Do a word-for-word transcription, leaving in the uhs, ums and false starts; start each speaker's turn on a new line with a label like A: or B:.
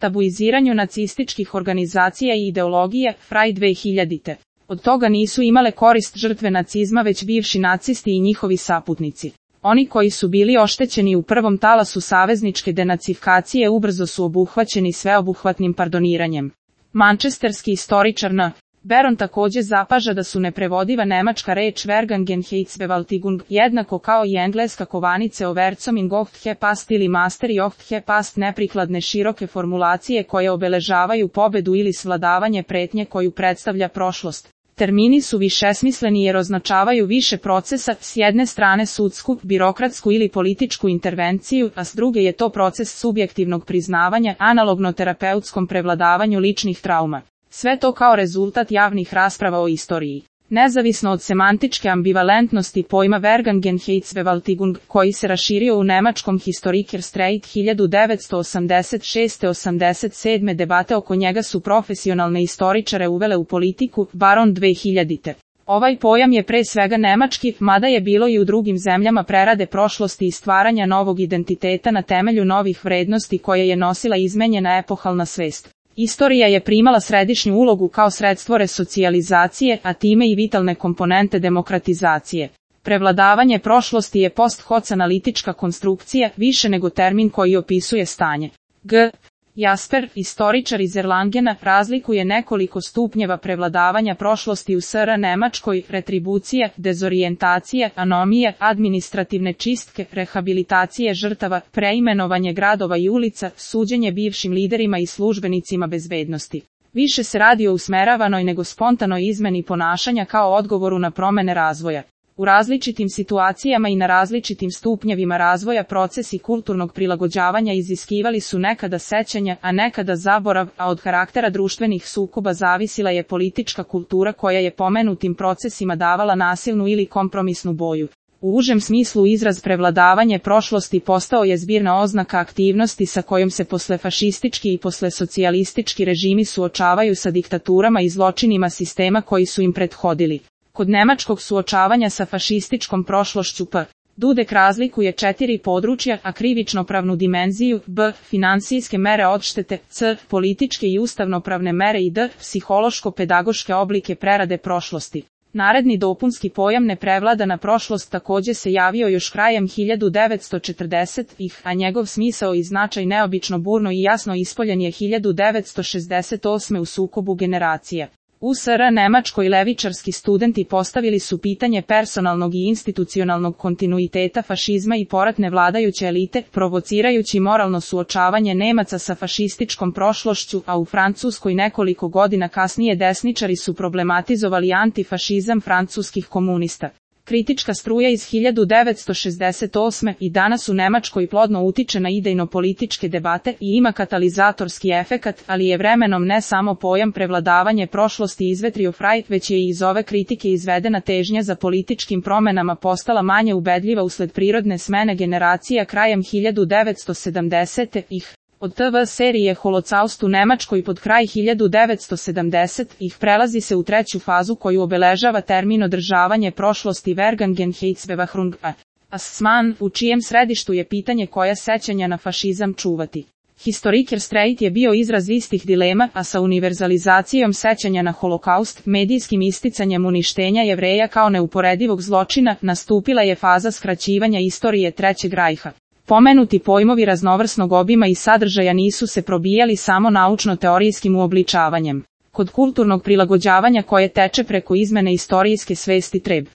A: tabuiziranju nacističkih organizacija i ideologije, Fraj dve hiljadite. Od toga nisu imale korist žrtve nacizma već bivši nacisti i njihovi saputnici. Oni koji su bili oštećeni u prvom talasu savezničke denacifikacije ubrzo su obuhvaćeni sveobuhvatnim pardoniranjem. Mančesterski istoričar N. Beron takođe zapaža da su neprevodiva nemačka reč Vergangenheitsbewältigung, jednako kao i engleska kovanice Overcoming ocht gepast ili Master i ocht gepast neprikladne široke formulacije koje obeležavaju pobedu ili svladavanje pretnje koju predstavlja prošlost. Termini su višesmisleni jer označavaju više procesa, s jedne strane sudsku, birokratsku ili političku intervenciju, a s druge je to proces subjektivnog priznavanja, analogno terapeutskom prevladavanju ličnih trauma. Sve to kao rezultat javnih rasprava o istoriji. Nezavisno od semantičke ambivalentnosti pojma Vergangenheitsbewältigung, koji se raširio u nemačkom Historikerstreit hiljadu devetsto osamdeset šeste do osamdeset sedme debate oko njega su profesionalne istoričare uvele u politiku, Baron dve hiljadite. Ovaj pojam je pre svega nemački, mada je bilo i u drugim zemljama prerade prošlosti i stvaranja novog identiteta na temelju novih vrednosti koje je nosila izmenjena epohalna svest. Istorija je primala središnju ulogu kao sredstvo resocijalizacije, a time i vitalne komponente demokratizacije. Prevladavanje prošlosti je post hoc analitička konstrukcija, više nego termin koji opisuje stanje. G. Jasper, istoričar iz Erlangena, razlikuje nekoliko stupnjeva prevladavanja prošlosti u S R Nemačkoj: retribucija, dezorijentacija, anomije, administrativne čistke, rehabilitacije žrtava, preimenovanje gradova i ulica, suđenje bivšim liderima i službenicima bezbednosti. Više se radi o usmeravanoj nego spontanoj izmeni ponašanja kao odgovoru na promene razvoja. U različitim situacijama i na različitim stupnjevima razvoja procesi kulturnog prilagođavanja iziskivali su nekada sećanja, a nekada zaborav, a od karaktera društvenih sukoba zavisila je politička kultura koja je pomenutim procesima davala nasilnu ili kompromisnu boju. U užem smislu izraz prevladavanje prošlosti postao je zbirna oznaka aktivnosti sa kojom se posle fašistički i posle socijalistički režimi suočavaju sa diktaturama i zločinima sistema koji su im prethodili. Kod nemačkog suočavanja sa fašističkom prošlošću P. Dudek razlikuje četiri područja, a krivično-pravnu dimenziju, B. Finansijske mere odštete, C. Političke i ustavnopravne mere i D. Psihološko-pedagoške oblike prerade prošlosti. Naredni dopunski pojam neprevladana prošlost takođe se javio još krajem hiljadu devetsto četrdesetih, a njegov smisao i značaj neobično burno i jasno ispoljen je hiljadu devetsto šezdeset osme u sukobu generacija. U S R Nemačkoj levičarski studenti postavili su pitanje personalnog i institucionalnog kontinuiteta fašizma i poratne vladajuće elite, provocirajući moralno suočavanje Nemaca sa fašističkom prošlošću, a u Francuskoj nekoliko godina kasnije desničari su problematizovali antifašizam francuskih komunista. Kritička struja iz hiljadu devetsto šezdeset osme i danas u Nemačkoj plodno utiče na idejno-političke debate i ima katalizatorski efekat, ali je vremenom ne samo pojam prevladavanje prošlosti izvetrio Fraj, već je i iz ove kritike izvedena težnja za političkim promenama postala manje ubedljiva usled prirodne smene generacija krajem hiljadu devetsto sedamdesetih. Od T V serije Holocaust u Nemačkoj pod kraj hiljadu devetsto sedamdesetih prelazi se u treću fazu koju obeležava termin održavanje prošlosti Vergangenheitsbewältigung, Assman, u čijem središtu je pitanje koja sećanja na fašizam čuvati. Historikerstreit je bio izraz istih dilema, a sa univerzalizacijom sećanja na Holokaust, medijskim isticanjem uništenja Jevreja kao neuporedivog zločina, nastupila je faza skraćivanja istorije Trećeg rajha. Pomenuti pojmovi raznovrsnog obima i sadržaja nisu se probijali samo naučno-teorijskim uobličavanjem. Kod kulturnog prilagođavanja koje teče preko izmene istorijske svesti treba